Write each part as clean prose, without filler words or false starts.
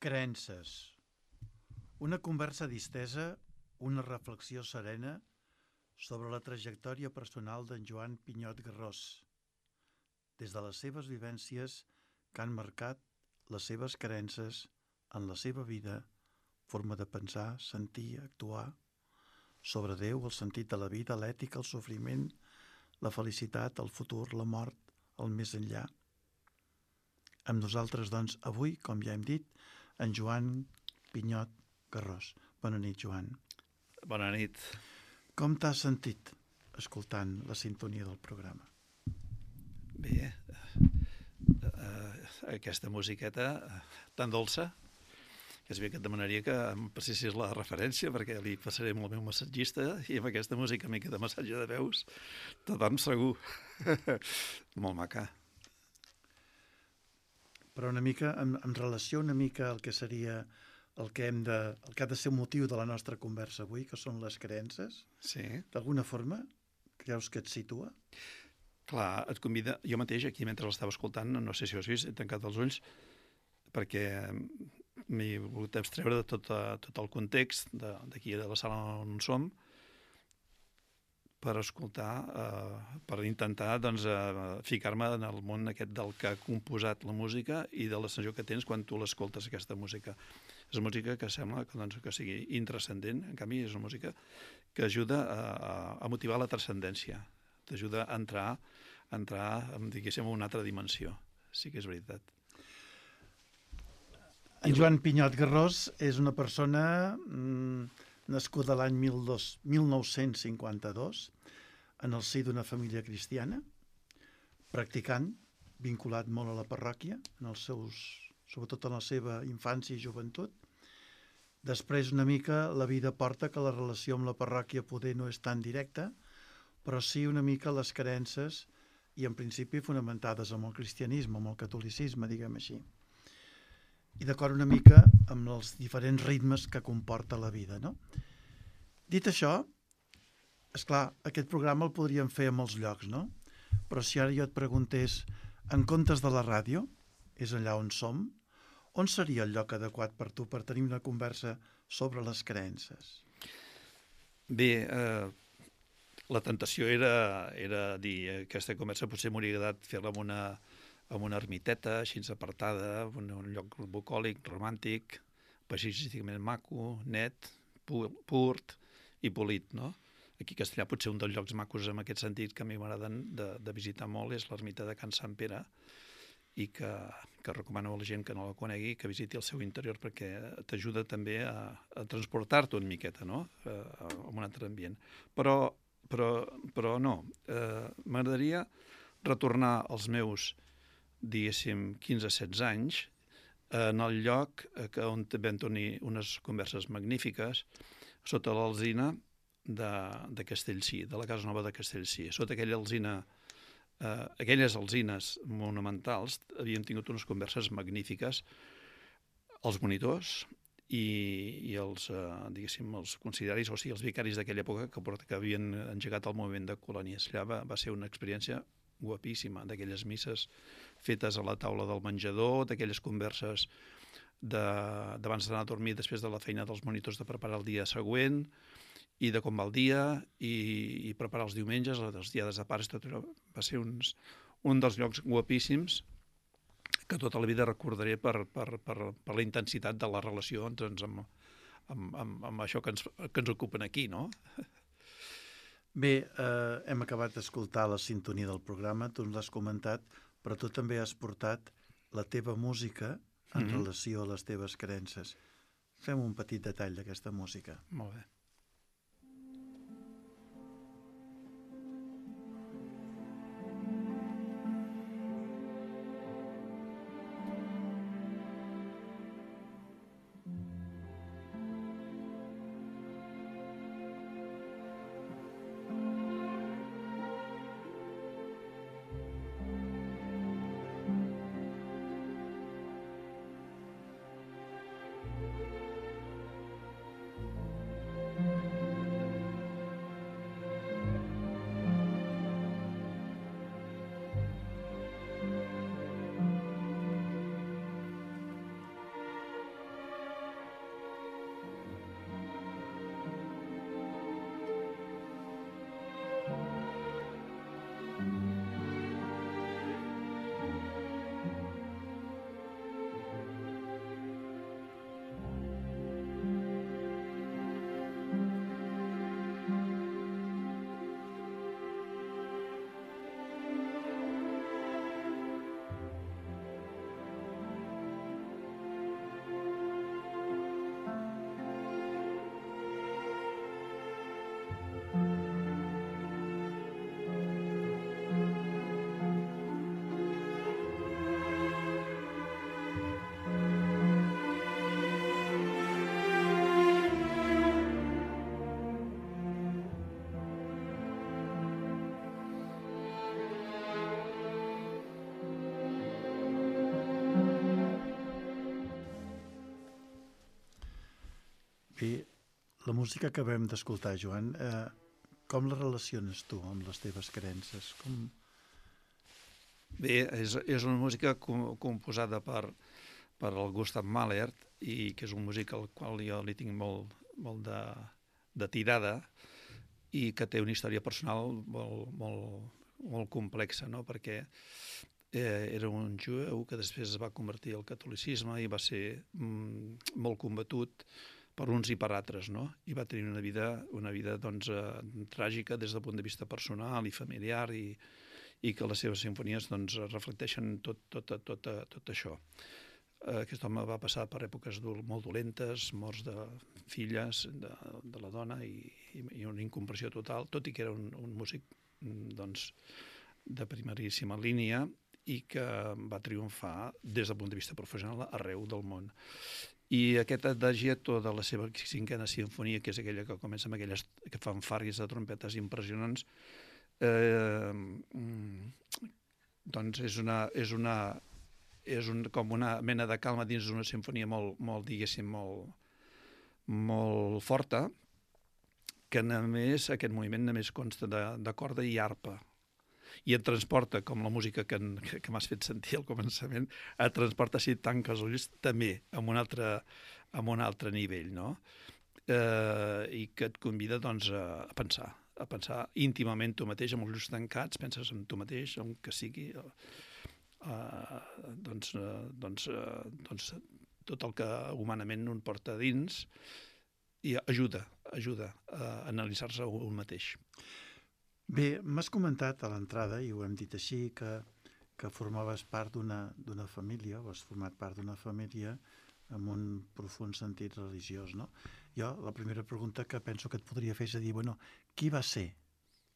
Creences. Una conversa distesa, una reflexió serena sobre la trajectòria personal d'en Joan Pinyot Garrós, des de les seves vivències que han marcat les seves creences en la seva vida, forma de pensar, sentir, actuar, sobre Déu, el sentit de la vida, l'ètica, el sofriment, la felicitat, el futur, la mort, el més enllà. Amb nosaltres, doncs, avui, com ja hem dit, en Joan Pinyot Garrós. Bona nit, Joan. Bona nit. Com t'has sentit escoltant la sintonia del programa? Bé, aquesta musiqueta tan dolça, que és bé que et demanaria que em passessis la referència, perquè li passaré amb el meu massatgista i amb aquesta música mica de massatge de veus, tot dorm segur. Molt maca. Però una mica, en relació una mica al que seria el que ha de ser el motiu de la nostra conversa avui, que són les creences, Sí. d'alguna forma creus que et situa? Clar, et convida... Jo mateix, aquí, mentre l'estava escoltant, no sé si ho has vist, he tancat els ulls, perquè m'he volgut abstreure de tot el context d'aquí, de la sala on som, per escoltar, per intentar doncs, ficar-me en el món aquest del que ha composat la música i de la sensació que tens quan tu l'escoltes, aquesta música. És una música que sembla que sigui intranscendent, en canvi és una música que ajuda a motivar la transcendència, t'ajuda a entrar diguéssim, en una altra dimensió. Sí que és veritat. En Joan Pinyot Garrós és una persona nascuda l'any 1952 en el si d'una família cristiana, practicant, vinculat molt a la parròquia, sobretot en la seva infància i joventut. Després, una mica, la vida porta que la relació amb la parròquia poder no és tan directa, però sí una mica les creences i en principi fonamentades en el cristianisme, en el catolicisme, diguem així. I d'acord una mica amb els diferents ritmes que comporta la vida, no? Dit això, esclar, aquest programa el podríem fer a molts llocs, no? Però si ara jo et preguntés, en comptes de la ràdio, és allà on som, on seria el lloc adequat per tu per tenir una conversa sobre les creences? Bé, la tentació era dir aquesta conversa potser m'hauria agradat fer-la en una ermiteta, així apartada, en un lloc bucòlic, romàntic, paisatgísticament maco, net, pur i polit, no? Aquí a Castellà potser un dels llocs macos en aquest sentit que a mi m'agraden de visitar molt és l'ermita de Can Sant Pere i que recomano a la gent que no la conegui que visiti el seu interior perquè t'ajuda també a transportar-te una miqueta, no? En un altre ambient. Però no, m'agradaria retornar als meus, diguéssim, 15-16 anys en el lloc on vam tenir unes converses magnífiques sota l'alzina de Castellcí, de la Casa Nova de Castellcí. Sota aquella alzina, aquelles alzines monumentals havíem tingut unes converses magnífiques els monitors i els, diguéssim, els consideris, o sigui, els vicaris d'aquella època que havien engegat el moviment de colònies. Allà va ser una experiència guapíssima, d'aquelles misses fetes a la taula del menjador, d'aquelles converses d'abans d'anar a dormir després de la feina dels monitors de preparar el dia següent i de com va el dia i preparar els diumenges, les diades de pares, tot allò va ser un dels llocs guapíssims que tota la vida recordaré per la intensitat de la relació amb això que ens ocupen aquí, no? Bé, hem acabat d'escoltar la sintonia del programa, tu ens l'has comentat, però tu també has portat la teva música en relació a les teves creences. Fem un petit detall d'aquesta música. Molt bé. I la música que acabem d'escoltar, Joan, com la relaciones tu amb les teves creences? Bé, és una música composada per el Gustav Mahler, i que és un músic al qual jo li tinc molt de tirada, i que té una història personal molt complexa, no? Perquè era un jueu que després es va convertir al catolicisme i va ser molt combatut per uns i per altres, no? I va tenir una vida doncs, tràgica des del punt de vista personal i familiar, i que les seves simfonies doncs, reflecteixen tot això. Aquest home va passar per èpoques molt dolentes, morts de filles de la dona i una incomprensió total, tot i que era un músic doncs, de primeríssima línia i que va triomfar des del punt de vista professional arreu del món. I aquest adagietto de la seva 5a sinfonia, que és aquella que comença amb aquelles fanfàrries de trompetes impressionants, doncs és com una mena de calma dins d'una sinfonia diguéssim, molt forta, que només aquest moviment només consta de corda i arpa. I et transporta, com la música que m'has fet sentir al començament, et transporta, si et tanques els ulls, també a un altre nivell, no? I que et convida doncs, a pensar íntimament tu mateix, amb els ulls tancats, penses en tu mateix, en que sigui, doncs tot el que humanament un porta dins, i ajuda a analitzar-se un mateix. Bé, m'has comentat a l'entrada, i ho hem dit així, que formaves part d'una família, o has format part d'una família amb un profund sentit religiós, no? Jo, la primera pregunta que penso que et podria fer és a dir, bueno, qui va ser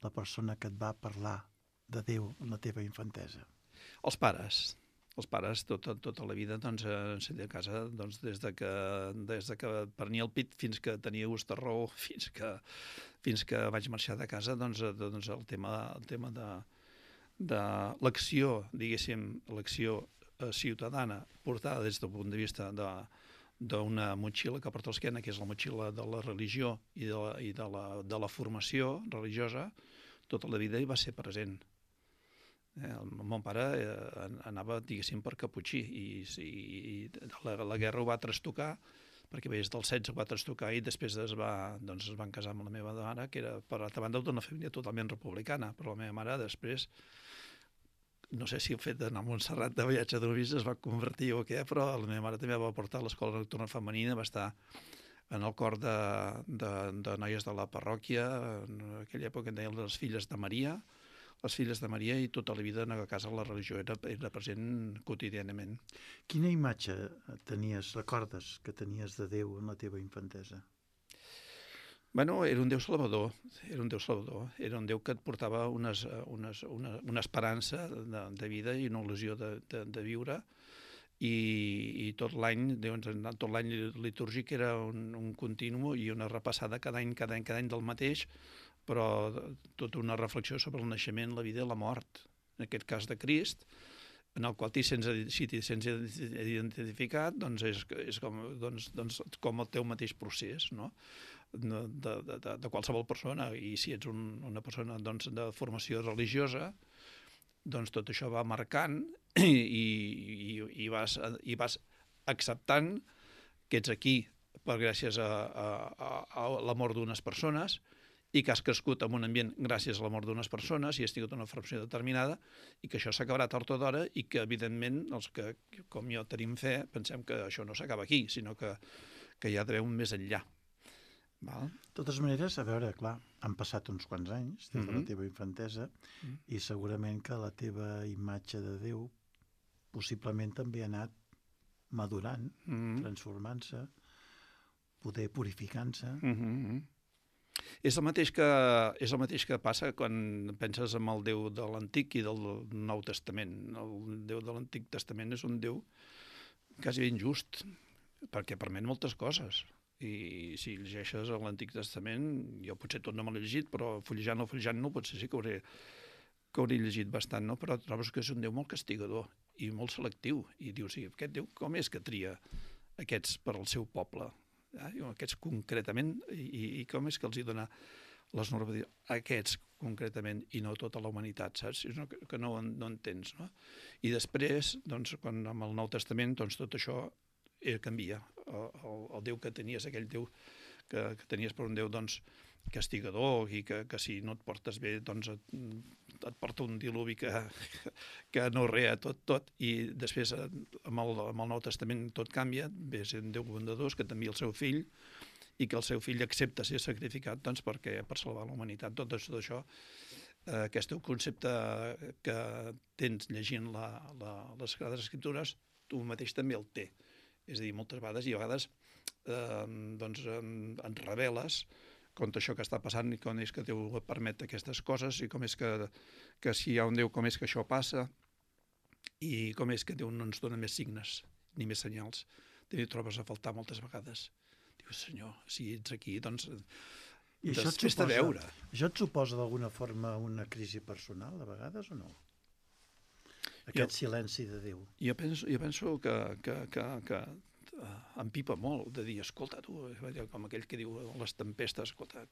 la persona que et va parlar de Déu en la teva infantesa? Els pares, tota la vida, doncs, a casa, doncs, des de que prenia el pit fins que tenia gust de raó, fins que vaig marxar de casa, doncs el tema de l'acció, diguéssim, l'acció ciutadana portada des del punt de vista d'una motxilla que porta a l'esquena, que és la motxilla de la religió i de la formació religiosa, tota la vida hi va ser present. El mon pare anava, diguéssim, per caputxí, i la guerra ho va trastocar, perquè des dels 16 ho va trastocar, i després es van casar amb la meva mare, que era, per altra banda, d'una família totalment republicana, però la meva mare després, no sé si el fet d'anar a Montserrat de viatge de novis es va convertir o què, però la meva mare també va portar a l'escola nocturna femenina, va estar en el cor de noies de la parròquia, en aquella època en deien les filles de Maria, i tota la vida a casa la religió era present quotidianament. Quina imatge recordes que tenies de Déu en la teva infantesa? Bueno, era un Déu salvador, era un Déu que et portava una esperança de vida i una il·lusió de viure, i tot l'any litúrgic era un continu i una repassada cada any del mateix, però tota una reflexió sobre el naixement, la vida i la mort, en aquest cas de Crist, en el qual si t'hi sents identificat, doncs és com el teu mateix procés, no? De qualsevol persona, i si ets una persona de formació religiosa, doncs tot això va marcant i vas acceptant que ets aquí gràcies a l'amor d'unes persones, i que has crescut en un ambient gràcies a l'amor d'unes persones i has tingut una formació determinada, i que això s'acabarà tard o d'hora, i que, evidentment, els que, com jo, tenim fe, pensem que això no s'acaba aquí, sinó que hi ha Déu més enllà. Val? De totes maneres, a veure, clar, han passat uns quants anys des de la teva infantesa, i segurament que la teva imatge de Déu possiblement també ha anat madurant, transformant-se, poder purificant-se. És el mateix que passa quan penses en el Déu de l'Antic i del Nou Testament. El Déu de l'Antic Testament és un Déu quasi injust, perquè permet moltes coses. I si llegeixes l'Antic Testament, jo potser tot no me l'he llegit, però fullejant-lo potser sí que hauré llegit bastant, no? Però trobes que és un Déu molt castigador i molt selectiu. I dius, sí, aquest Déu com és que tria aquests per al seu poble? Aquests concretament, i com és que els hi dona les normatives, aquests concretament, i no tota la humanitat, saps? Que no entens, no? I després, doncs, quan amb el Nou Testament, doncs tot això canvia. El Déu que tenies, aquell Déu que tenies per un Déu, doncs, castigador, i que si no et portes bé, doncs et porta un diluvi que no rea tot, i després amb el Nou Testament tot canvia, ve a ser un Déu bondadós que t'envia el seu fill, i que el seu fill accepta ser sacrificat doncs, per salvar la humanitat. Tot això, aquest concepte que tens llegint les Sagrades Escriptures, tu mateix també el té. És a dir, moltes vegades, i a vegades doncs, et reveles contra això que està passant i com és que Déu permet aquestes coses i com és que si hi ha un Déu, com és que això passa i com és que Déu no ens dona més signes ni més senyals. També ho trobes a faltar moltes vegades. Dius, Senyor, si ets aquí, doncs fes-te veure. Això et suposa d'alguna forma una crisi personal, a vegades, o no? Aquest silenci de Déu. Jo penso que empipa molt de dir, escolta, tu, com aquell que diu les tempestes, escolta,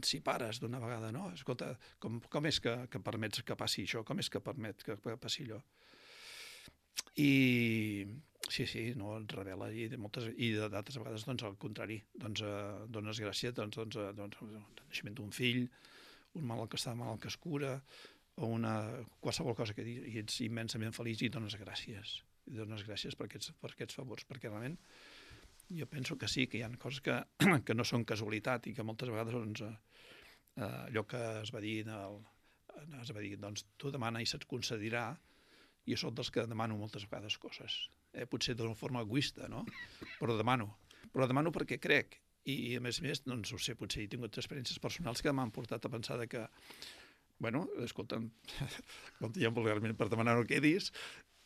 si pares d'una vegada, no? Escolta, com és que permets que passi això? Com és que permet que passi allò? I sí, no, et revela, i d'altres vegades, doncs, al contrari, doncs, dones gràcies, doncs, el naixement d'un fill, un malalt que està malalt que es cura, o qualsevol cosa que dius, i ets immensament feliç i dones gràcies. I dones gràcies per aquests favors, perquè realment jo penso que sí, que hi ha coses que no són casualitat i que moltes vegades doncs, allò que es va dir, doncs tu demana i se't concedirà, i jo soc dels que demano moltes vegades coses. Potser d'una forma egoista, no? Però demano perquè crec, i a més, doncs ho sé, potser he tingut experiències personals que m'han portat a pensar que, bueno, escolta'm, com diem vulgarment, per demanar no quedis,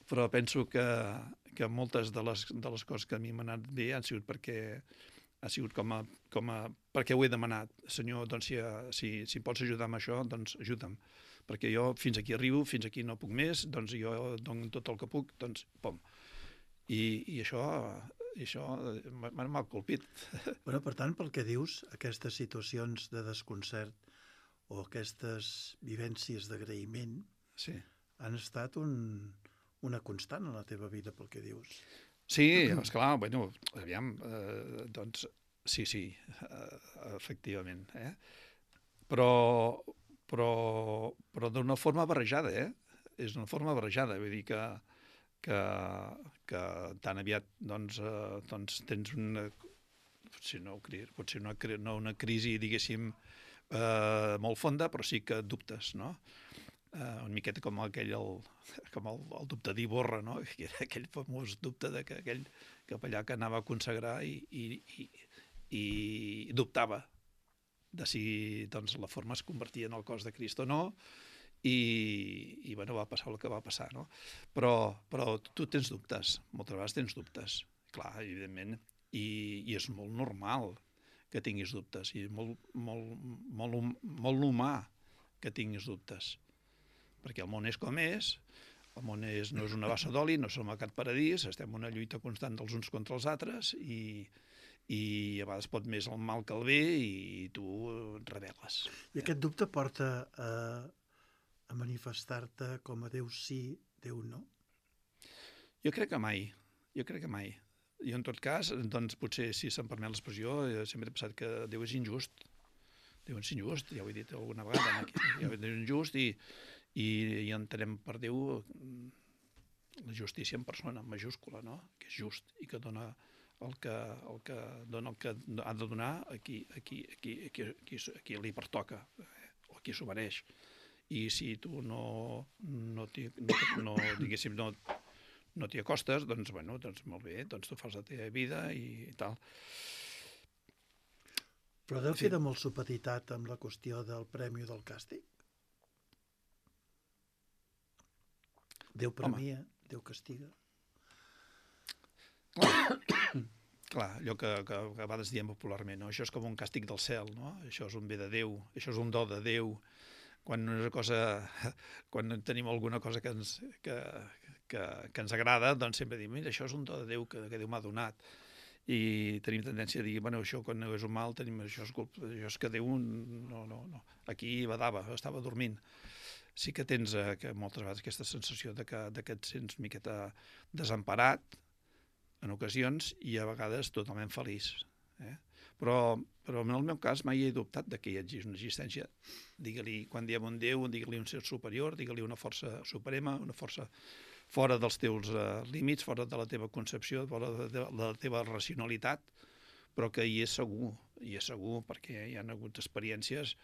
però penso que moltes de les coses que a mi m'han anat bé han sigut perquè perquè ho he demanat. Senyor, doncs si em pots ajudar amb això, doncs ajuda'm. Perquè jo fins aquí arribo, fins aquí no puc més, doncs jo dono tot el que puc, doncs pom. I això m'ha colpit. Bueno, per tant, pel que dius, aquestes situacions de desconcert o aquestes vivències d'agraïment han estat una constant en la teva vida, pel que dius. Sí, esclar, bueno, aviam, doncs, sí, efectivament, però d'una forma barrejada, és una forma barrejada, vull dir que tan aviat doncs tens potser no una crisi, diguéssim, molt fonda, però sí que dubtes, no? Una miqueta com el dubte d'Iborra, no? Que era aquell famós dubte que aquell capellà que anava a consagrar i dubtava de si doncs, la forma es convertia en el cos de Crist o no, i bueno, va passar el que va passar, no? Però tu tens dubtes, moltes vegades tens dubtes, clar, evidentment, i és molt normal que tinguis dubtes, i molt humà que tinguis dubtes, perquè el món és com és, el món no és una bassa d'oli, no som a cap paradís, estem en una lluita constant dels uns contra els altres i a vegades pot més el mal que el bé i tu et rebel·les. I aquest dubte porta a manifestar-te com a Déu sí, Déu no? Jo crec que mai. Jo, en tot cas, doncs potser, si se'm permet l'expressió, sempre he pensat que Déu és injust. Déu és injust, ja ho he dit alguna vegada, Déu és injust i entenem per Déu la justícia en persona, en majúscula, no? Que és just i que dona el que ha de donar a qui li pertoca o a qui s'ho mereix. I si tu no t'hi acostes, doncs, bueno, doncs molt bé, doncs tu fas la teva vida i tal. Però Déu queda molt supeditat amb la qüestió del premi o del càstig? Déu premia, Déu castiga. Clar, allò que a vegades diem popularment, no? Això és com un càstig del cel, no? Això és un bé de Déu, això és un do de Déu. Quan tenim alguna cosa que ens agrada, doncs sempre diem, mira, això és un do de Déu que Déu m'ha donat. i tenim tendència a dir, bueno, això quan no és un mal, tenim això és que Déu no. Aquí badava, estava dormint. Sí que tens que moltes vegades aquesta sensació de que et sents una miqueta desemparat en ocasions i a vegades totalment feliç. Però en el meu cas mai he dubtat que hi hagi una existència. Digue-li, quan diem un Déu, digue-li un ser superior, digue-li una força suprema, una força fora dels teus límits, fora de la teva concepció, fora de la teva racionalitat, però que hi és segur, perquè hi ha hagut experiències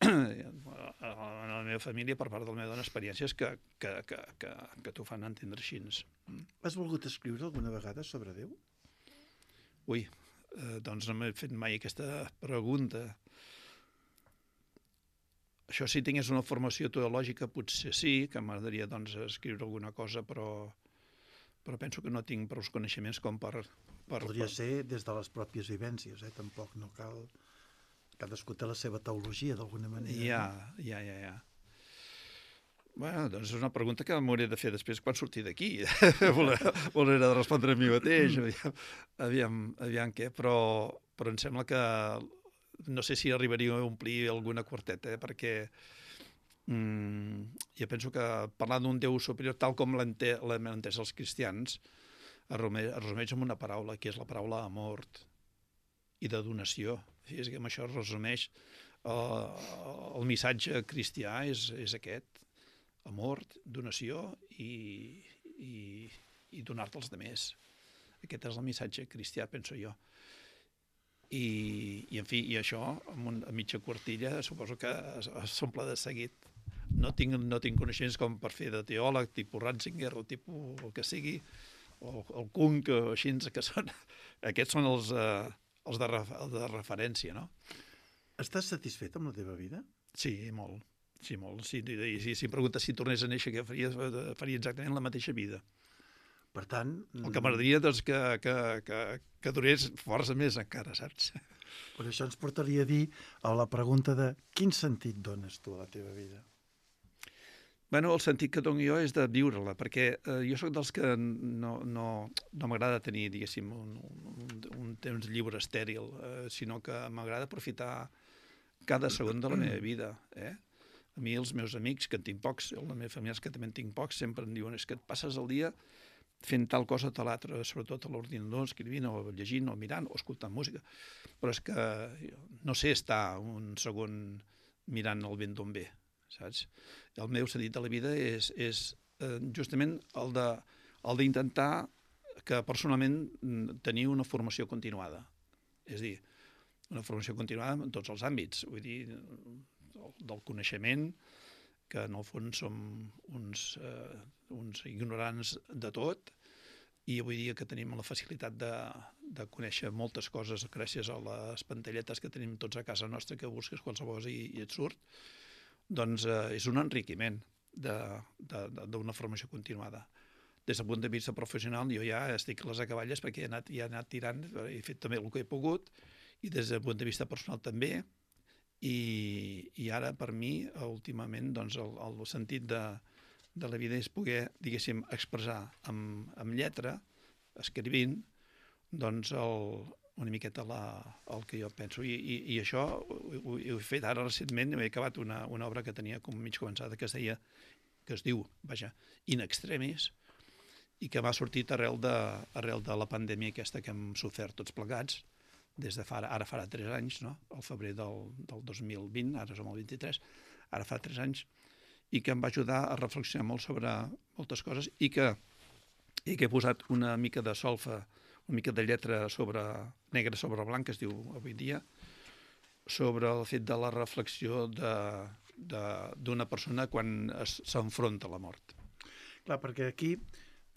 en la meva família, per part de la meva dona, experiències que t'ho fan entendre així. Has volgut escriure alguna vegada sobre Déu? Ui, doncs no m'he fet mai aquesta pregunta. Això si tingués una formació teològica potser sí, que m'agradaria doncs, escriure alguna cosa, però penso que no tinc prou coneixements com per... Podria ser des de les pròpies vivències, tampoc no cal... Cadascú té la seva teologia, d'alguna manera. Ja. Bueno, doncs és una pregunta que m'hauré de fer després quan surti d'aquí. Voler de respondre a mi mateix. Aviam què, però em sembla que no sé si arribaria a omplir alguna quarteta, perquè jo penso que parlar d'un Déu superior, tal com l'hem entès els cristians, es resumeix en una paraula, que és la paraula amor i de donació. És que amb això es resumeix el missatge cristià és aquest, amor, donació i donar-te als altres. Aquest és el missatge cristià, penso jo. I en fi, i això, a mitja quartilla, suposo que s'omple de seguit. No tinc coneixements com per fer de teòleg, tipus Ratzinger o tipus el que sigui, o el Kuhn, o així, que són... Aquests són els de referència, no? Estàs satisfet amb la teva vida? Sí, molt. Sí, molt. Si em preguntes si tornés a néixer, què faria exactament la mateixa vida. Per tant... El que m'agradaria és que durés força més encara, saps? Per això ens portaria a dir a la pregunta de quin sentit dones tu a la teva vida? Bueno, el sentit que dono jo és de viure-la, perquè jo sóc dels que no m'agrada tenir, diguéssim, un temps lliure estèril, sinó que m'agrada aprofitar cada segon de la meva vida. A mi els meus amics, que en tinc pocs, la meva família, que també en tinc pocs, sempre em diuen és que et passes el dia fent tal cosa o tal altra, sobretot a l'ordinador, escrivint o llegint o mirant o escoltant música. Però és que no sé estar un segon mirant el vent d'on ve, saps? El meu sentit de la vida és justament el d'intentar que personalment tenir una formació continuada. És a dir, una formació continuada en tots els àmbits, vull dir, del coneixement, que en el fons som uns ignorants de tot, i avui dia que tenim la facilitat de conèixer moltes coses gràcies a les pantalletes que tenim tots a casa nostra, que busques qualsevol cosa i et surt, doncs és un enriquiment d'una formació continuada. Des del punt de vista professional jo ja estic a les acaballes perquè he anat tirant, he fet també el que he pogut, i des del punt de vista personal també, i ara per mi últimament doncs, el sentit de la vida és poder, diguéssim, expressar amb lletra, escrivint, doncs una miqueta el que jo penso. I això ho he fet ara recentment, he acabat una obra que tenia com mig començada, que es diu In Extremis, i que m'ha sortit arrel de la pandèmia aquesta que hem sofert tots plegats, des de ara farà 3 anys, no? Al febrer del 2020, ara som el 23, ara fa 3 anys, i que em va ajudar a reflexionar molt sobre moltes coses i que he posat una mica de solfa, una mica de lletra negra sobre blanc, que es diu avui dia, sobre el fet de la reflexió d'una persona quan s'enfronta a la mort. Clar, perquè aquí,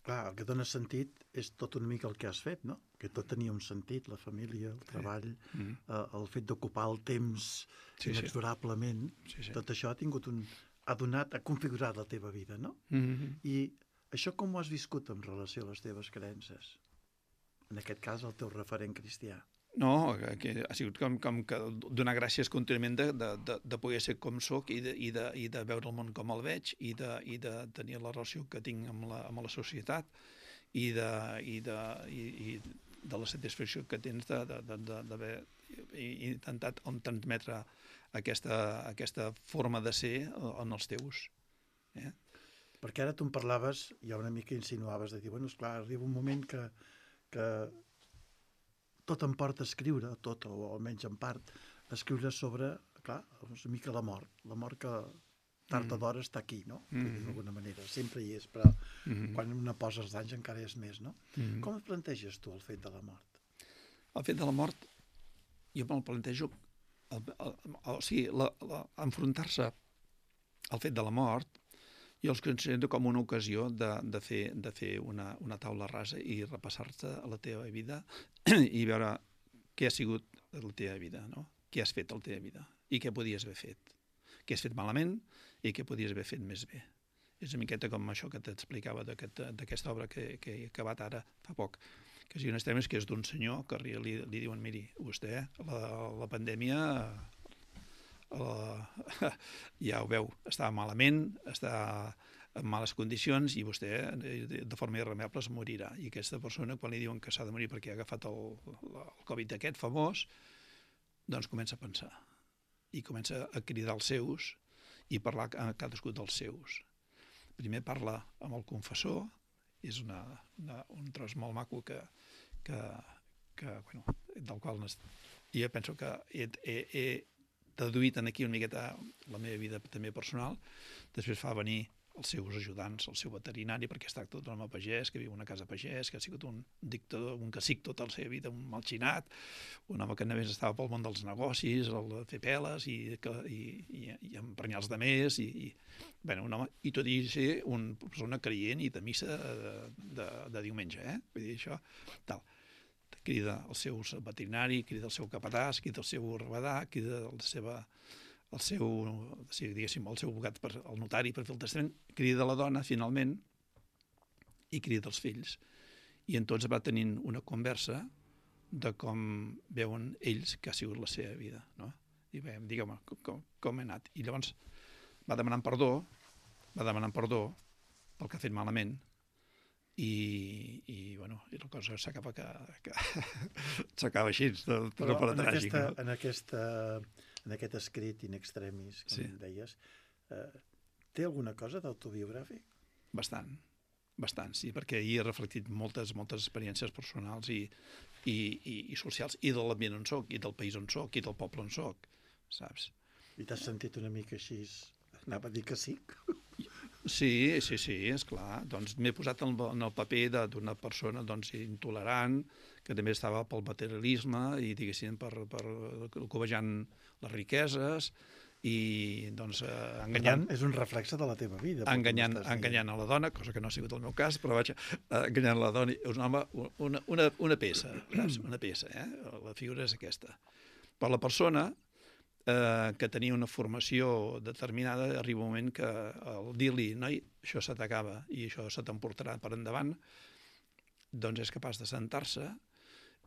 el que dona sentit és tot una mica el que has fet, no? Que tot tenia un sentit, la família, el treball, el fet d'ocupar el temps inexorablement, tot això ha configurat la teva vida, no? I això com ho has viscut en relació a les teves creences? En aquest cas, el teu referent cristià. No, que ha sigut com que donar gràcies contínuament de poder ser com soc i de veure el món com el veig i de tenir la relació que tinc amb la societat i de la satisfacció que tens d'haver intentat transmetre aquesta forma de ser en els teus. Perquè ara tu em parlaves, ja una mica insinuaves, de dir, bueno, esclar, arriba un moment que tot em porta a escriure, tot, o almenys en part, a escriure sobre, clar, una mica la mort que tard o d'hora està aquí, no? D'alguna manera, sempre hi és, però quan una posa els danys encara és més, no? Com et planteges tu el fet de la mort? El fet de la mort, jo me'l plantejo, o sigui, enfrontar-se al fet de la mort, jo els considero com una ocasió de fer una taula rasa i repassar-te a la teva vida i veure què ha sigut la teva vida, no? Què has fet a la teva vida i què podies haver fet. Què has fet malament i què podies haver fet més bé. És una miqueta com això que t'explicava d'aquesta obra que he acabat ara fa poc, que si un extremis que és d'un senyor que li diuen, miri, vostè, la pandèmia... ja ho veu, està malament, està en males condicions i vostè de forma irremeiable es morirà. I aquesta persona, quan li diuen que s'ha de morir perquè ha agafat el Covid aquest famós, doncs comença a pensar i comença a cridar els seus i parlar a cadascú dels seus. Primer parla amb el confessor, és un tros molt maco bueno, del qual jo penso que he deduït aquí una miqueta la meva vida també personal. Després fa venir els seus ajudants, el seu veterinari, perquè es tracta d'un home pagès, que viu en una casa pagès, que ha sigut un dictador, un cacic tota la seva vida, un malxinat, un home que només estava pel món dels negocis, el de fer peles i emprenyar els demés, bueno, un home, i tot i ser una persona creient i de missa de diumenge, vull dir, això, tal. Crida el seu veterinari, crida el seu capatàs, crida el seu rabadà, crida el seu abogat, el notari per fer el testament, crida la dona, finalment, i crida els fills. I en tots va tenint una conversa de com veuen ells que ha sigut la seva vida, no? I bé, digue'm, com he anat. I llavors va demanant perdó pel que ha fet malament, i bueno, i la cosa s'acaba així, però tràgic. En aquest escrit in extremis, com deies, té alguna cosa d'autobiogràfic? Bastant, sí, perquè hi he reflectit moltes experiències personals i socials, i de l'ambient on soc, i del país on soc, i del poble on soc, saps? I t'has sentit una mica així, anava a dir que sí? Sí, esclar. Doncs m'he posat en el paper d'una persona intolerant, que també estava pel materialisme i, diguéssim, per covejant les riqueses i, doncs, enganyant... És un reflexe de la teva vida. Enganyant a la dona, cosa que no ha sigut el meu cas, però vaig enganyant la dona. És un home, una peça, saps? Una peça, La figura és aquesta. Per la persona... que tenia una formació determinada, arriba un moment que al dir-li, noi, això se t'acaba i això se t'emportarà per endavant, doncs és capaç de sentar-se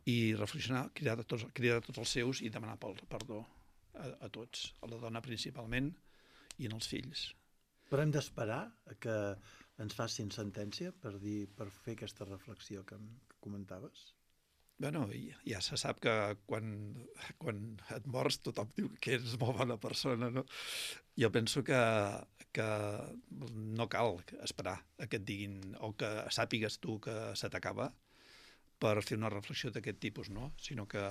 i reflexionar, cridar tots els seus i demanar perdó a tots, a la dona principalment i en els fills. Però hem d'esperar que ens facin sentència per fer aquesta reflexió que comentaves? Bueno, ja se sap que quan et mors tothom diu que eres molt bona persona, no? Jo penso que no cal esperar a que et diguin o que sàpigues tu que se t'acaba per fer una reflexió d'aquest tipus, no? Sinó que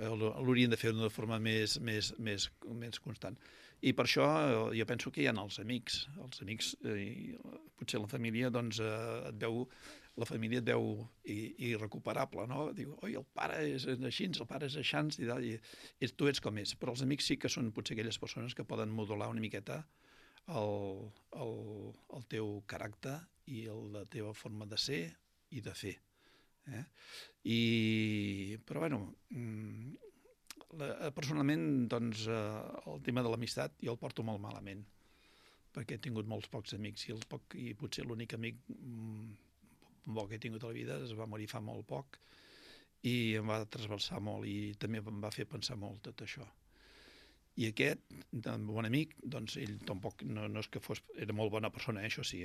l'haurien de fer d'una forma més constant. I per això jo penso que hi ha els amics. Els amics, potser la família, doncs, la família et veu irrecuperable, no? Diu, oi, el pare és així, el pare és aixans, i tu ets com és. Però els amics sí que són potser aquelles persones que poden modular una miqueta el teu caràcter i la teva forma de ser i de fer. Però, bueno, personalment, doncs, el tema de l'amistat jo el porto molt malament, perquè he tingut molts pocs amics i potser l'únic amic bo que he tingut a la vida es va morir fa molt poc i em va trasbalsar molt i també em va fer pensar molt tot això. I aquest, bon amic, doncs ell tampoc no és que fos... Era molt bona persona, això sí,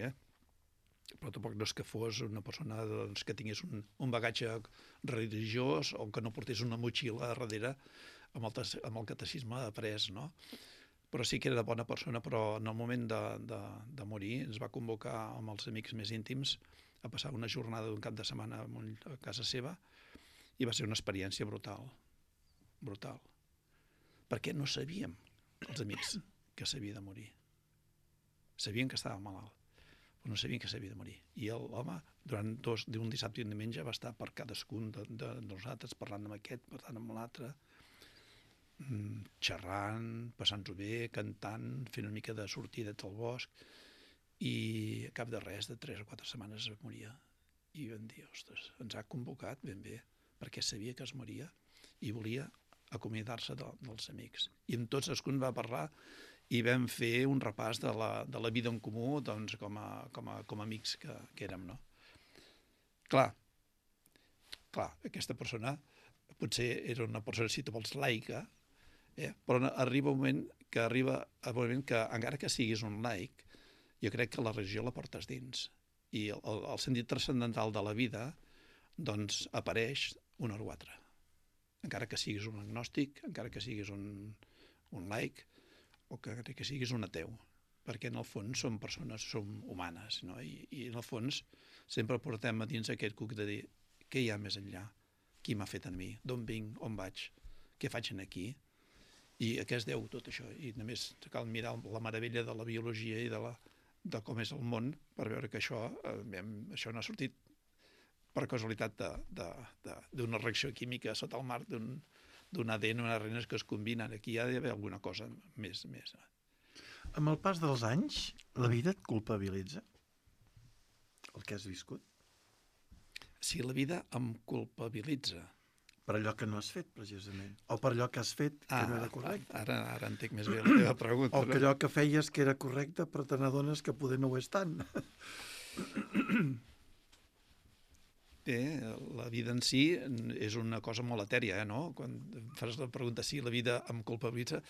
però tampoc no és que fos una persona doncs, que tingués un bagatge religiós o que no portés una motxilla a darrere amb el catecisme après, no? Però sí que era de bona persona, però en el moment de morir ens va convocar amb els amics més íntims a passar una jornada d'un cap de setmana a casa seva i va ser una experiència brutal, brutal. Perquè no sabíem, els amics, que s'havia de morir. Sabien que estava malalt, però no sabien que s'havia de morir. I l'home, durant un dissabte i un diumenge, va estar per cadascun de nosaltres, parlant amb aquest, parlant amb l'altre, xerrant, passant-ho bé, cantant, fent una mica de sortidet al bosc, i a cap de res, de 3 o 4 setmanes es moria. I vam dir, ostres, ens ha convocat ben bé, perquè sabia que es moria i volia acomiadar-se dels amics. I amb tots cadascun va parlar i vam fer un repàs de la vida en comú doncs, com a amics que érem. No? Clar, aquesta persona potser era una persona, si tu vols, laica, però arriba un moment que encara que siguis un laic, jo crec que la religió la portes dins. I el sentit transcendental de la vida doncs apareix una o altra. Encara que siguis un agnòstic, encara que siguis un laic, o que siguis un ateu, perquè en el fons som persones, som humanes, no? I en el fons sempre portem a dins aquest cuc de dir què hi ha més enllà, qui m'ha fet a mi, d'on vinc, on vaig, què faig aquí, i a què es deu tot això. I només cal mirar la meravella de la biologia i de com és el món per veure que això no ha sortit per casualitat d'una reacció química sota el mar, d'un ADN, unes renes que es combinen. Aquí hi ha d'haver alguna cosa més. Amb el pas dels anys, la vida et culpabilitza? El que has viscut? Sí, la vida em culpabilitza. Per allò que no has fet, precisament. O per allò que has fet que no era correcte. Ara entenc més bé la teva pregunta. O que allò que feies que era correcte, però te n'adones que poder no ho és tant. La vida en si és una cosa molt etèria, no? Quan fas la pregunta si la vida em culpabilitza,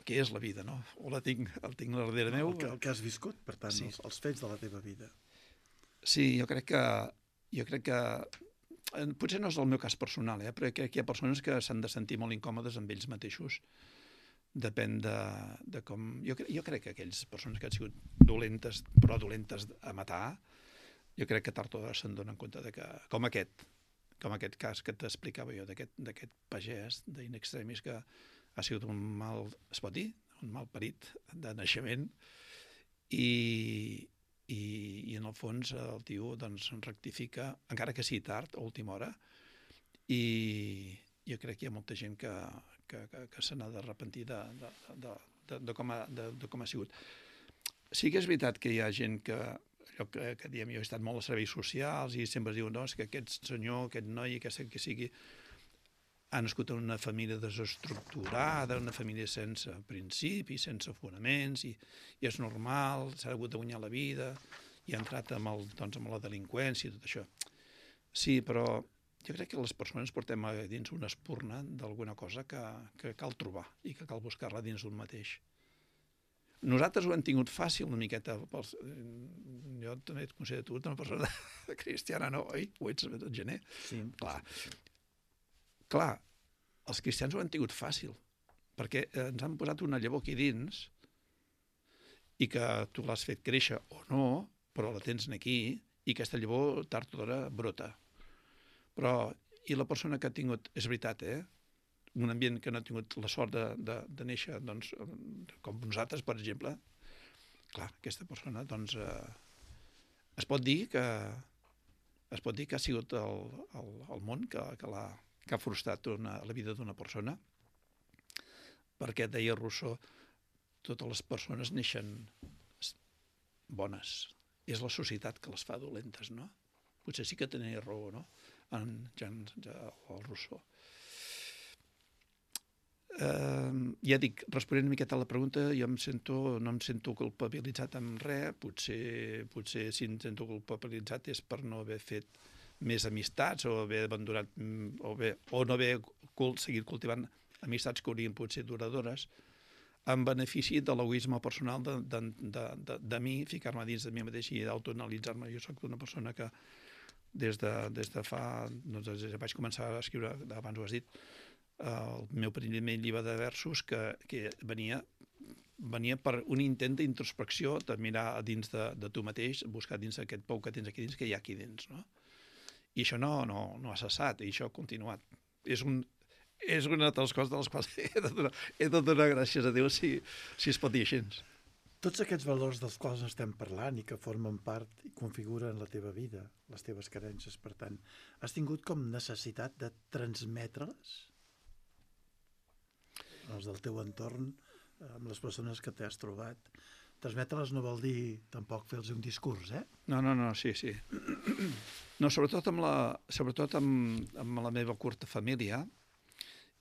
què és la vida, no? O el tinc darrere meu? El que has viscut, per tant, sí. Els fets de la teva vida. Sí, jo crec que potser no és el meu cas personal, però crec que hi ha persones que s'han de sentir molt incòmodes amb ells mateixos. Depèn de com... Jo crec que aquelles persones que han sigut dolentes, però dolentes a matar, jo crec que tard o d'hora se'n donen compte de que, com aquest cas que t'explicava jo, d'aquest pagès d'in extremis que ha sigut un mal, es pot dir, un mal parit de naixement, i en el fons el tio doncs, rectifica, encara que sigui tard, a última hora, i jo crec que hi ha molta gent que se n'ha d'arrepentir de com ha sigut. Sí que és veritat que hi ha gent que allò que diem, jo he estat molt a serveis socials i sempre es diu, no, és que aquest senyor, aquest noi, que sigui, ha nascut en una família desestructurada, una família sense principis, sense fonaments, i és normal, s'ha hagut de guanyar la vida, i ha entrat amb la delinqüència i tot això. Sí, però jo crec que les persones portem a dins una espurna d'alguna cosa que cal trobar i que cal buscar-la dins d'un mateix. Nosaltres ho hem tingut fàcil una miqueta. Jo també et considero tu una persona cristiana, no? Oi? Ho ets, gener? Sí. Clar, els cristians ho han tingut fàcil, perquè ens han posat una llavor aquí dins i que tu l'has fet créixer o no, però la tens aquí, i aquesta llavor tard o d'hora brota. Però, i la persona que ha tingut, és veritat, un ambient que no ha tingut la sort de néixer, doncs, com nosaltres, per exemple, clar, aquesta persona, doncs, es pot dir que ha sigut el món que ha frustrat la vida d'una persona, perquè, deia Rousseau, totes les persones neixen bones. És la societat que les fa dolentes, no? Potser sí que tenia raó, no? En Jean Rousseau. Ja dic, responent una miqueta a la pregunta, jo no em sento culpabilitzat amb res, potser si em sento culpabilitzat és per no haver fet més amistats o haver abandonat o no haver seguit cultivant amistats que haurien pogut ser duradores, en benefici de l'egoisme personal de mi, ficar-me dins de mi mateix i d'autoanalitzar-me. Jo soc una persona que des de fa... Doncs, des que vaig començar a escriure, abans ho has dit, el meu primer llibre de versos que venia per un intent d'introspecció, de mirar a dins de tu mateix, buscar dins aquest pou que tens aquí dins, que hi ha aquí dins, no? I això no ha cessat, i això ha continuat. És una de les coses de les quals he de donar gràcies a Déu si es pot dir així. Tots aquests valors dels quals estem parlant i que formen part i configuren la teva vida, les teves carències, per tant, has tingut com necessitat de transmetre-les als del teu entorn, amb les persones que t'has trobat. Transmetre-les no vol dir tampoc fer-los un discurs, eh? No, sí. No, sobretot amb la meva curta família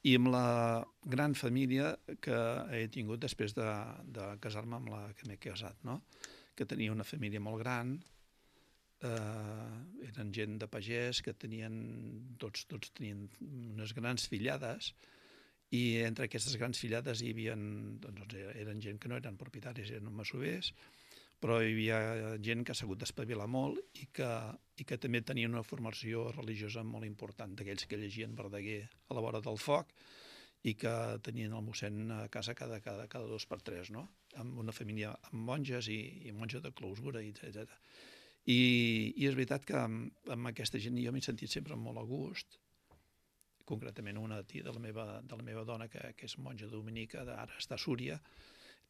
i amb la gran família que he tingut després de casar-me amb la que m'he casat, no? Que tenia una família molt gran, eren gent de pagès que tots tenien unes grans fillades, i entre aquestes grans fillades hi havia, doncs, eren gent que no eren propietaris, eren masovers, però hi havia gent que s'ha hagut d'espavilar molt i que també tenia una formació religiosa molt important, d'aquells que llegien Verdaguer a la vora del foc i que tenien el mossèn a casa cada 2 per 3, no? Amb una família amb monges i monges de clausura, etc. I és veritat que amb aquesta gent jo m'he sentit sempre molt a gust, concretament una tia de la meva dona, que és monja dominica, ara està a Súria.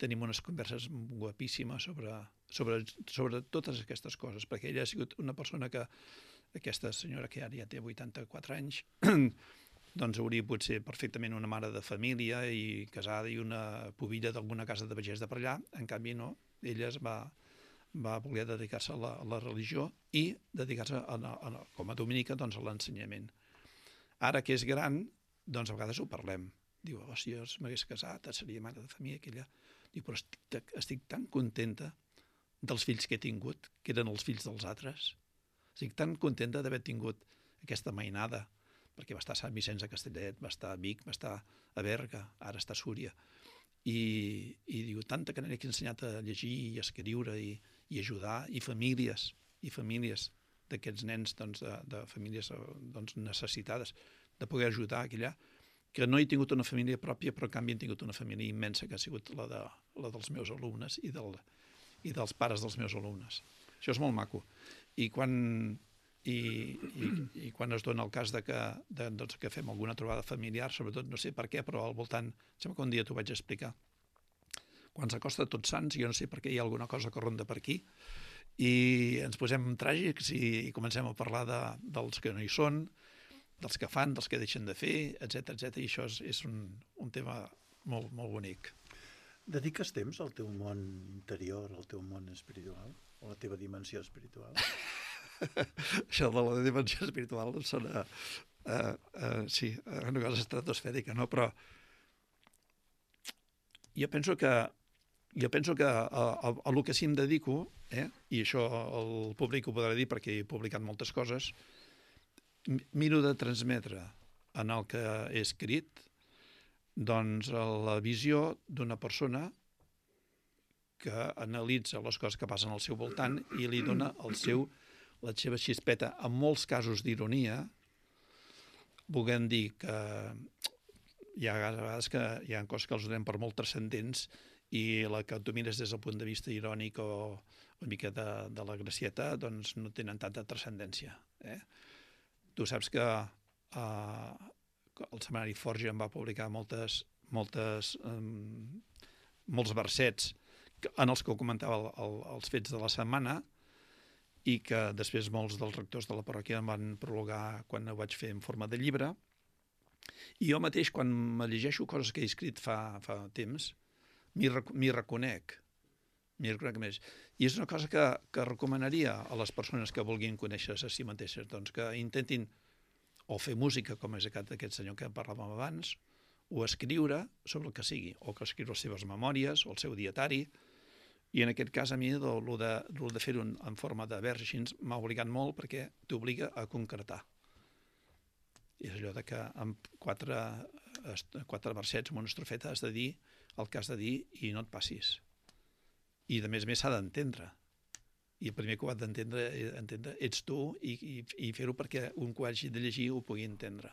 Tenim unes converses guapíssimes sobre totes aquestes coses, perquè ella ha sigut una persona que, aquesta senyora que ara ja té 84 anys, doncs hauria pogut ser perfectament una mare de família i casada i una pubilla d'alguna casa de pagès de per allà. En canvi, no, ella va voler dedicar-se a la religió i dedicar-se com a dominica doncs, a l'ensenyament. Ara que és gran, doncs a vegades ho parlem. Diu, si jo m'hagués casat, seria mare de família aquella. Diu, però estic tan contenta dels fills que he tingut, que eren els fills dels altres. Estic tan contenta d'haver tingut aquesta mainada, perquè va estar a Sant Vicenç de Castellet, va estar a Vic, va estar a Berga, ara està a Súria. I diu, tanta que n'he ensenyat a llegir i a escriure i ajudar, i famílies d'aquests nens, de famílies necessitades, de poder ajudar aquella, que no he tingut una família pròpia, però en canvi he tingut una família immensa, que ha sigut la dels meus alumnes i dels pares dels meus alumnes. Això és molt maco. I quan es dona el cas que fem alguna trobada familiar, sobretot, no sé per què, però al voltant, sembla que un dia t'ho vaig explicar, quan s'acosta Tots Sants, jo no sé per què hi ha alguna cosa que ronda per aquí, i ens posem tràgics i comencem a parlar dels que no hi són, dels que fan, dels que deixen de fer, etc. I això és un tema molt, molt bonic. Dediques temps al teu món interior, al teu món espiritual, o a la teva dimensió espiritual? Això de la dimensió espiritual sona sí, una cosa estratosfèrica, no? Però jo penso que a el que sí em dedico, i això el públic ho podrà dir perquè he publicat moltes coses, miro de transmetre en el que he escrit doncs la visió d'una persona que analitza les coses que passen al seu voltant i li dona la seva xispeta, en molts casos d'ironia, volent dir que hi ha vegades que hi ha coses que els donem per molt transcendents i la que tu mires des del punt de vista irònic o una mica de la gracieta, doncs no tenen tanta transcendència. Tu saps que el setmanari Forja em va publicar molts versets en els que comentava els fets de la setmana i que després molts dels rectors de la parròquia em van prologar quan ho vaig fer en forma de llibre. I jo mateix, quan me llegeixo coses que he escrit fa temps, m'hi reconec més. I és una cosa que recomanaria a les persones que vulguin conèixer-se a si mateixes, doncs que intentin o fer música, com és aquest senyor que parlàvem abans, o escriure sobre el que sigui, o que escriure les seves memòries, o el seu dietari. I en aquest cas a mi el de fer-ho en forma de vers així m'ha obligat molt perquè t'obliga a concretar. És allò de que amb 4 4 versets amb una estrofeta, has de dir el que has de dir i no et passis. I de més s'ha d'entendre. I el primer que ho ha d'entendre ets tu i fer-ho perquè un que ho hagi de llegir ho pugui entendre.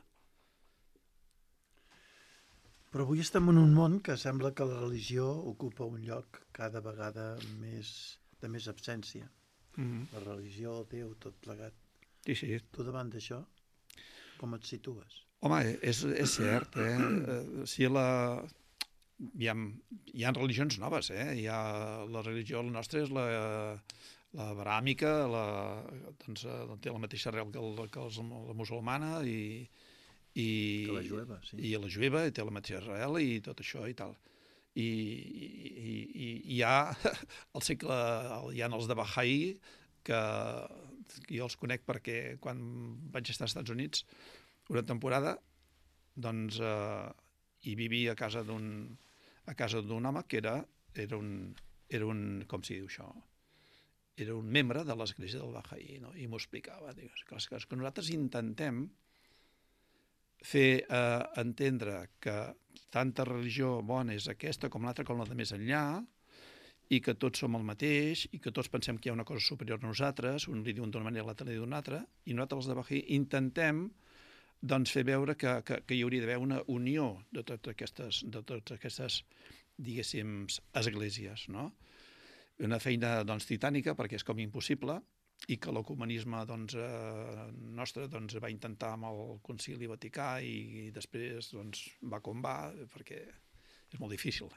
Però avui estem en un món que sembla que la religió ocupa un lloc cada vegada de més absència. La religió, Déu, tot plegat. Sí. Tu davant d'això, com et situes? Home, és cert, hi ha religions noves, la religió nostra és la abràmica, té la mateixa arrel que la musulmana Que la jueva, sí. I la jueva té la mateixa arrel i tot això i tal. I hi ha al segle, hi ha els de Baha'i, que jo els conec perquè quan vaig estar als Estats Units una temporada, doncs hi vivia a casa d'un home que era un com s'hi diu això, era un membre de l'església del Baha'i, no? I m'ho explicava, que nosaltres intentem fer entendre que tanta religió bona és aquesta com l'altra, com la de més enllà, i que tots som el mateix, i que tots pensem que hi ha una cosa superior a nosaltres, un li diuen d'una manera, l'altre li diu d'una altra, i nosaltres els de Baha'i intentem doncs, fer veure que hi hauria d'haver una unió de totes aquestes diguéssim, esglésies, no? Una feina doncs, titànica, perquè és com impossible, i que l'ecumenisme nostre va intentar amb el Concili Vaticà i després va com va, perquè és molt difícil,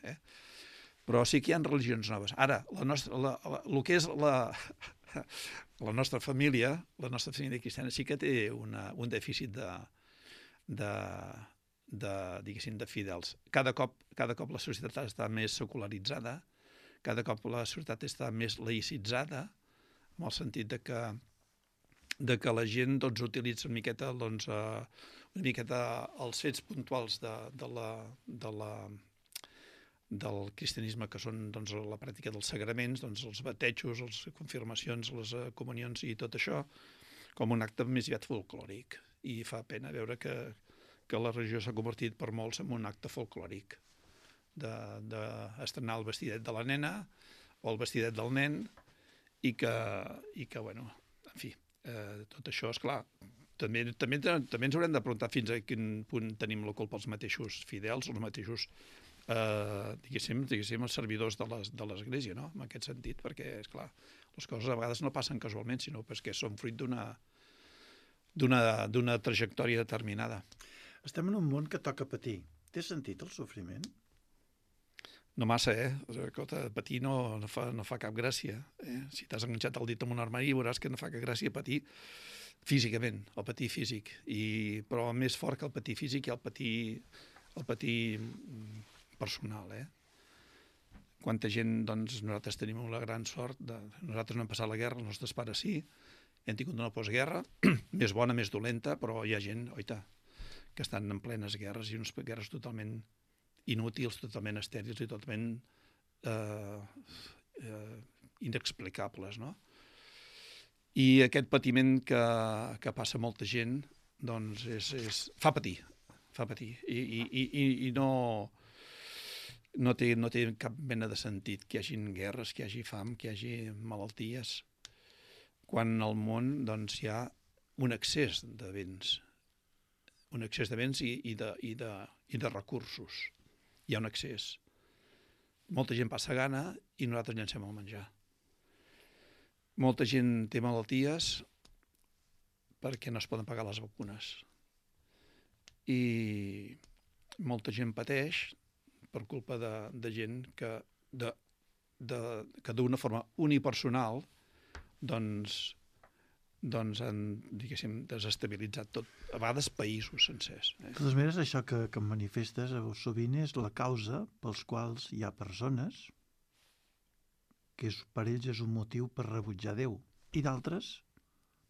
Però sí que hi ha religions noves. Ara, el que és la nostra família cristiana sí que té un dèficit diguéssim, de fidels. Cada cop la societat està més secularitzada, cada cop la societat està més laïcitzada, en el sentit de que la gent utilitza una miqueta els fets puntuals del cristianisme, que són la pràctica dels sagraments, els batejos, les confirmacions, les comunions i tot això, com un acte més aviat folclòric. I fa pena veure que la religió s'ha convertit per molts en un acte folclòric, d'estrenar el vestidet de la nena o el vestidet del nen, i que bueno, en fi, tot això, esclar, també ens haurem de preguntar fins a quin punt tenim la culpa els mateixos fidels, els mateixos diguéssim, els servidors de l'Església, no? En aquest sentit, perquè, esclar, les coses a vegades no passen casualment, sinó perquè són fruit d'una trajectòria determinada. Estem en un món que toca patir. Té sentit el sofriment? No massa, patir no fa cap gràcia. Si t'has enganxat el dit en un armari veuràs que no fa cap gràcia patir físicament, el patir físic. Però més fort que el patir físic hi ha el patir personal, Quanta gent, nosaltres tenim la gran sort, nosaltres no hem passat la guerra, els nostres pares sí, hem tingut una postguerra, més bona, més dolenta, però hi ha gent, oita, que estan en plenes guerres, i unes guerres totalment inútils, totalment estèrils i totalment inexplicables, no? I aquest patiment que passa molta gent, doncs fa patir, i no té cap mena de sentit que hi hagi guerres, que hi hagi fam, que hi hagi malalties, quan al món hi ha un excés de béns, i de recursos. Hi ha un excés. Molta gent passa gana i nosaltres llancem el menjar. Molta gent té malalties perquè no es poden pagar les vacunes. I molta gent pateix per culpa de gent que d'una forma unipersonal han, diguéssim, desestabilitzat tot, a vegades països sencers. De totes maneres, això que em manifestes sovint és la causa pels quals hi ha persones que per ells és un motiu per rebutjar Déu, i d'altres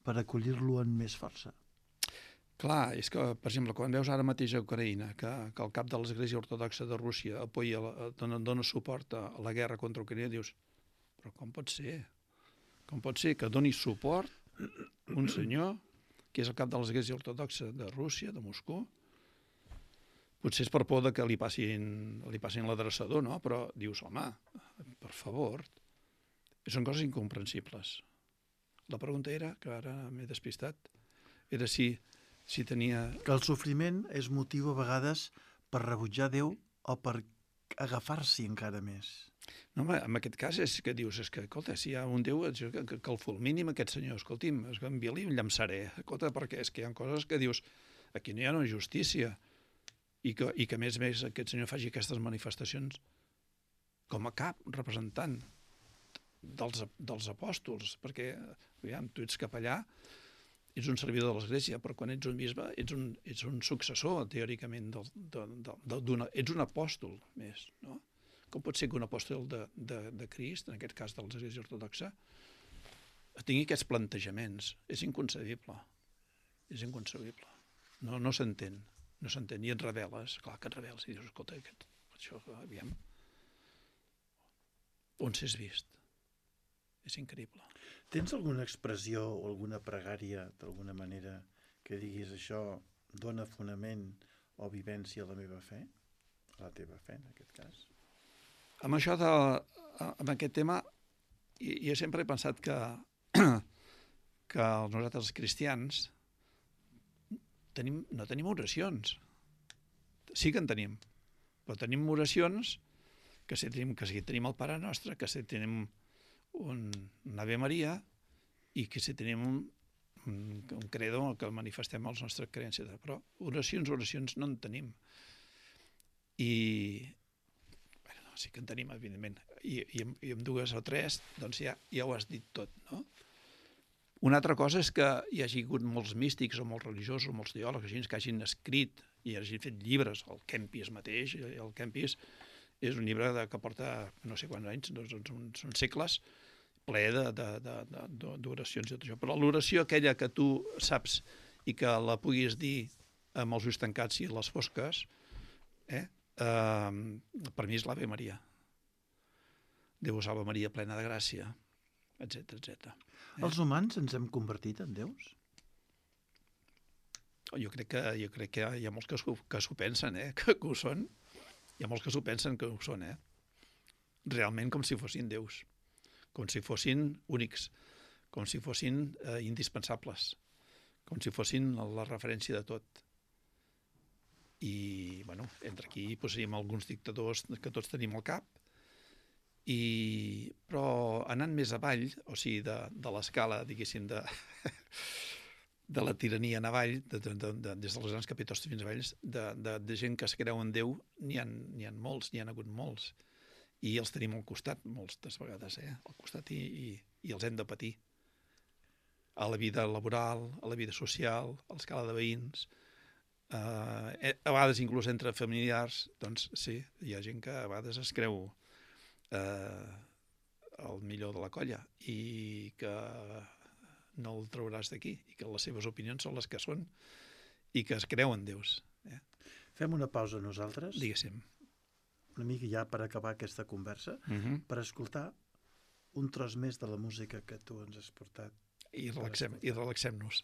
per acollir-lo amb més força. Clar, és que, per exemple, quan veus ara mateix a Ucraïna que el cap de l'Església Ortodoxa de Rússia dona suport a la guerra contra Ucraïna, dius, però com pot ser? Com pot ser que doni suport un senyor que és el cap de l'Església Ortodoxa de Rússia, de Moscou, Potser és per por de que li passin l'adreçador, no? Però dius, home, per favor, són coses incomprensibles. La pregunta era, que ara m'he despistat, era si tenia... Que el sofriment és motiu a vegades per rebutjar Déu o per agafar-s'hi encara més. No, home, en aquest cas és que dius, és que, escolta, si hi ha un Déu, que el fulmini amb aquest senyor, escolti'm, es va enviar-li un llamçaré, escolta, perquè és que hi ha coses que dius, aquí no hi ha una justícia, i que a més aquest senyor faci aquestes manifestacions com a cap representant dels apòstols, perquè, aviam, tu ets capellà, ets un servidor de l'Església, però quan ets un bisbe ets un successor, teòricament, ets un apòstol més, no? Com pot ser que un apòstol de Crist, en aquest cas de l'Església Ortodoxa, tingui aquests plantejaments? És inconcebible. És inconcebible. No s'entén. No s'entén. I et reveles. Clar que et reveles. I dius, escolta, això, aviam. On s'és vist? És increïble. Tens alguna expressió o alguna pregària, d'alguna manera, que diguis això dona fonament o vivència a la meva fe? A la teva fe, en aquest cas? Amb això amb aquest tema, jo sempre he pensat que nosaltres els cristians no tenim oracions. Sí que en tenim, però tenim oracions que si tenim el Pare Nostre, que si tenim un Ave Maria i que si tenim un credo que manifestem les nostres creences. Però oracions no en tenim. I sí que en tenim, evidentment, i amb dues o tres, doncs ja ho has dit tot, no? Una altra cosa és que hi hagi hagut molts místics o molts religiosos o molts teòlegs que hagin escrit i hagin fet llibres, el Kempis mateix, el Kempis és un llibre que porta no sé quants anys, són segles, ple d'oracions i tot això, però l'oració aquella que tu saps i que la puguis dir amb els ulls tancats i les fosques, per mi és l'Ave Maria. Déu salve Maria, plena de gràcia, etc. Els humans ens hem convertit en déus? Jo crec que hi ha molts que s'ho pensen, que ho són. Hi ha molts que s'ho pensen que ho són, realment com si fossin déus, com si fossin únics, com si fossin indispensables, com si fossin la referència de tot. I, bueno, entre aquí posaríem alguns dictadors que tots tenim al cap, però anant més avall, o sigui, de l'escala, diguéssim, de la tirania en avall, des dels grans capitostos fins avalls, de gent que es creu en Déu, n'hi ha molts, n'hi ha hagut molts, i els tenim al costat, moltes vegades, al costat, i els hem de patir. A la vida laboral, a la vida social, a l'escala de veïns, a vegades inclús entre familiars, doncs sí, hi ha gent que a vegades es creu el millor de la colla i que no el trauràs d'aquí i que les seves opinions són les que són i que es creuen déus. Fem una pausa nosaltres. Diguéssim. Una mica ja per acabar aquesta conversa, per escoltar un tros més de la música que tu ens has portat. I relaxem-nos.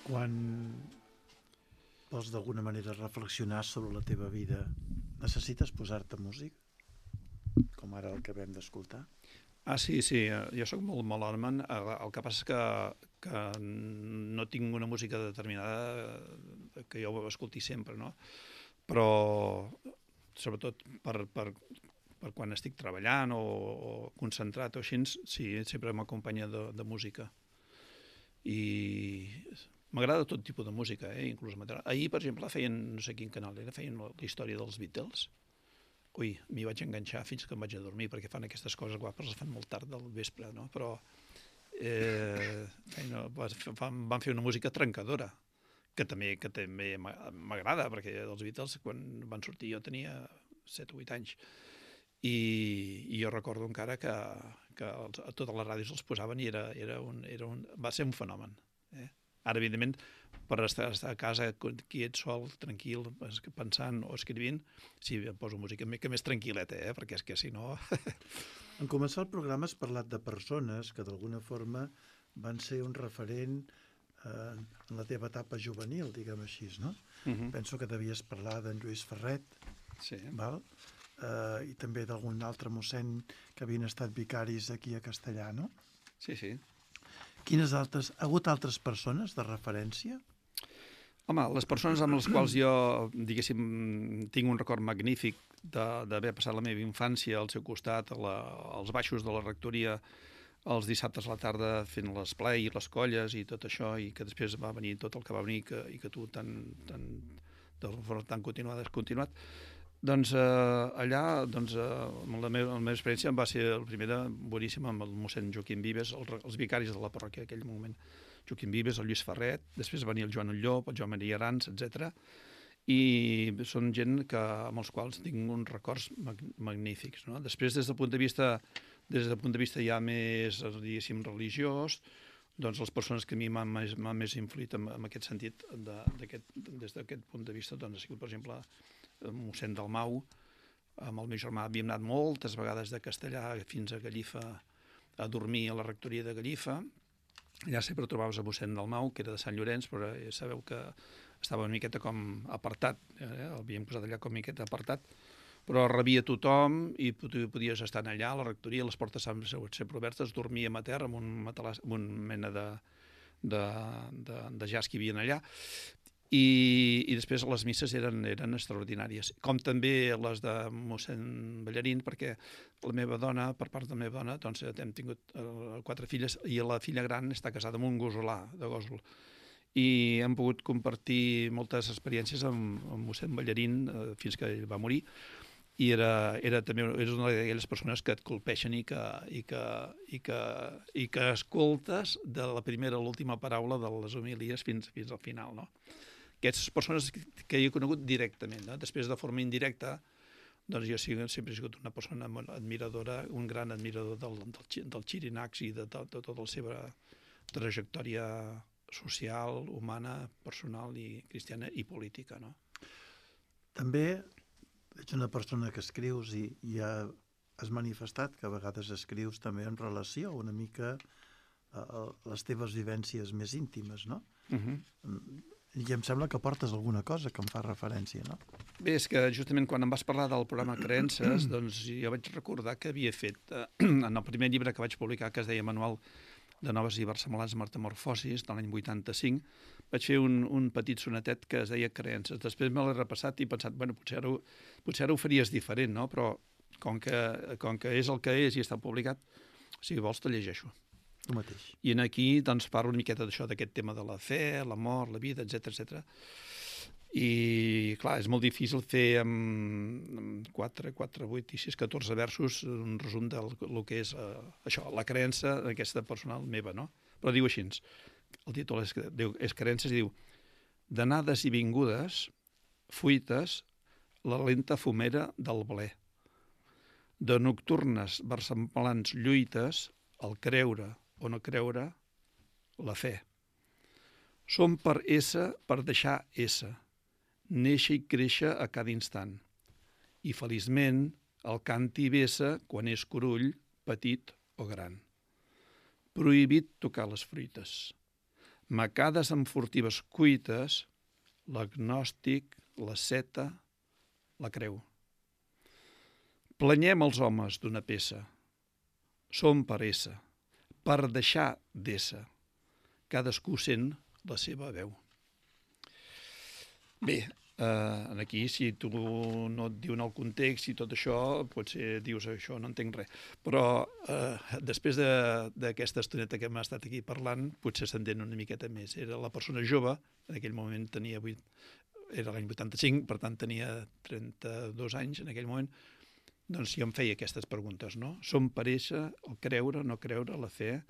Quan vols d'alguna manera reflexionar sobre la teva vida, necessites posar-te músic? Com ara el que vam d'escoltar? Sí, jo sóc molt melòman. El que passa és que no tinc una música determinada que jo escolti sempre, no? Però sobretot per quan estic treballant o concentrat o així, sí, sempre m'acompanya de música. I m'agrada tot tipus de música, inclús material. Ahir, per exemple, feien, no sé quin canal era, feien la història dels Beatles. Ui, m'hi vaig enganxar fins que em vaig a dormir, perquè fan aquestes coses guapes, les fan molt tard del vespre, no? Però van fer una música trencadora, que també m'agrada, perquè els Beatles, quan van sortir, jo tenia 7 o 8 anys, i jo recordo encara que a totes les ràdios els posaven i va ser un fenomen. Ara, evidentment, per estar a casa quiet, sol, tranquil, pensant o escrivint, sí, em poso música que més tranquil·leta, perquè és que si no... En començar el programa has parlat de persones que d'alguna forma van ser un referent en la teva etapa juvenil, diguem així, no? Penso que devies parlar d'en Lluís Ferret, sí. Val? I també d'algun altre mossèn que havien estat vicaris aquí a Castellà, no? Sí, sí. Quines altres... Ha hagut altres persones de referència? Home, les persones amb les quals jo, diguéssim, tinc un record magnífic d'haver passat la meva infància al seu costat, als baixos de la rectoria, els dissabtes a la tarda fent l'esplai i les colles i tot això, i que després va venir tot el que va venir i que tu de forma tan continuat. Doncs allà, la meva experiència va ser la primera boníssima amb el mossèn Joaquim Vives, els vicaris de la parròquia en aquell moment. Joaquim Vives, el Lluís Ferret, després va venir el Joan Ulló, el Joan Maria Arans, etc. I són gent amb els quals tinc uns records magnífics, no? Després, des del punt de vista ja més, diguéssim, religiós, doncs les persones que a mi m'han més influït en aquest sentit, des d'aquest punt de vista, doncs ha sigut, per exemple, el mossèn Dalmau. Amb el meu germà havíem anat moltes vegades de Castellà fins a Gallifa a dormir a la rectoria de Gallifa. Allà sempre trobaves a mossèn Dalmau, que era de Sant Llorenç, però sabeu que estava una miqueta com apartat, l'havíem posat allà com una miqueta apartat, però rebia tothom i podies estar allà a la rectoria, les portes sempre obertes, dormíem a terra amb un mena de jaç que hi havia allà, i després les misses eren extraordinàries, com també les de mossèn Ballarín, perquè la meva dona, per part de la meva dona, doncs hem tingut 4 filles i la filla gran està casada amb un gosolà de Gósol, i hem pogut compartir moltes experiències amb mossèn Ballarín fins que ell va morir, i era també una d'aquelles persones que et colpeixen i que escoltes de la primera a l'última paraula de les homilies fins al final, no? Aquestes persones que he conegut directament, no? Després, de forma indirecta, doncs jo sempre he sigut una persona admiradora, un gran admirador del Xirinacs i de tota la seva trajectòria social, humana, personal i cristiana i política, no? També ets una persona que escrius i ja has manifestat que a vegades escrius també en relació una mica a les teves vivències més íntimes, no? I em sembla que portes alguna cosa que em fa referència, no? Bé, és que justament quan em vas parlar del programa Creences, doncs jo vaig recordar que havia fet, en el primer llibre que vaig publicar, que es deia Manual de Noves i Versemblants Metamorfosis, de l'any 85, vaig fer un petit sonetet que es deia Creences. Després me l'he repassat i he pensat, bueno, potser ara ho faries diferent, no? Però com que és el que és i està publicat, si vols te llegeixo. El mateix. I aquí doncs, parlo una miqueta d'això, d'aquest tema de la fe, la mort, la vida, etc. I, clar, és molt difícil fer amb 4, 8 i 6, 14 versos un resum del que és això, la creença aquesta personal meva, no? Però diu així, el títol és Creences i diu: d'anades i vingudes, fuites, la lenta fumera del ble. De nocturnes versemblants lluites, el creure o no creure, la fe. Som per ésser, per deixar ésser, néixer i créixer a cada instant. I feliçment el canti vessa quan és curull, petit o gran. Prohibit tocar les fruites. macades amb furtives cuites, l'agnòstic, l'asceta, la creu. Planyem els homes d'una peça. Som per ésser, per deixar d'ésser. Cadascú sent la seva veu. Bé, aquí, si tu no et diuen el context i tot això, potser dius això, no entenc res. Però després d'aquesta estoneta que hem estat aquí parlant, potser s'entén una miqueta més. Era la persona jove, en aquell moment tenia era l'any 85, per tant tenia 32 anys en aquell moment, doncs jo em feia aquestes preguntes, no? Som per ésser, el creure, no creure, la fe,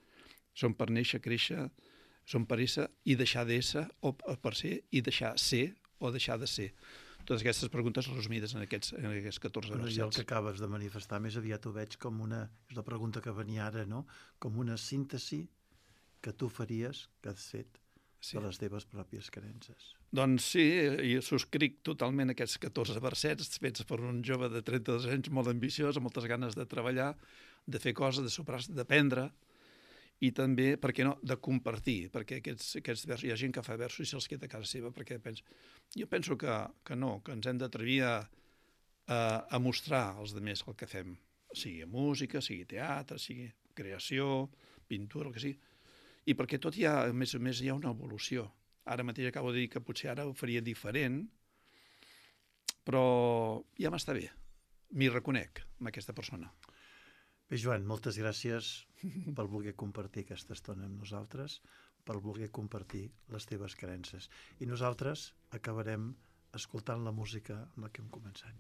som per néixer, créixer, som per ésser i deixar d'ésser, o per ser i deixar ser, o deixar de ser. Totes aquestes preguntes resumides en aquests 14 versets. I el que acabes de manifestar més aviat ho veig com és la pregunta que venia ara, no? Com una síntesi que tu faries, que has fet, de les teves pròpies creences. Doncs sí, i subscric totalment aquests 14 versets fets per un jove de 32 anys molt ambiciós, amb moltes ganes de treballar, de fer coses, de superar-se, d'aprendre, i també, per què no, de compartir, perquè aquests versos, hi ha gent que fa versos i se'ls queda a casa seva, perquè jo penso que no, que ens hem d'atrevir a mostrar als altres el que fem, sigui música, sigui teatre, sigui creació, pintura, el que sigui, i perquè tot a més a més hi ha una evolució. Ara mateix acabo de dir que potser ara ho faria diferent, però ja m'està bé, m'hi reconec amb aquesta persona. Bé, Joan, moltes gràcies per voler compartir aquesta estona amb nosaltres, per voler compartir les teves creences. I nosaltres acabarem escoltant la música amb la que hem començat.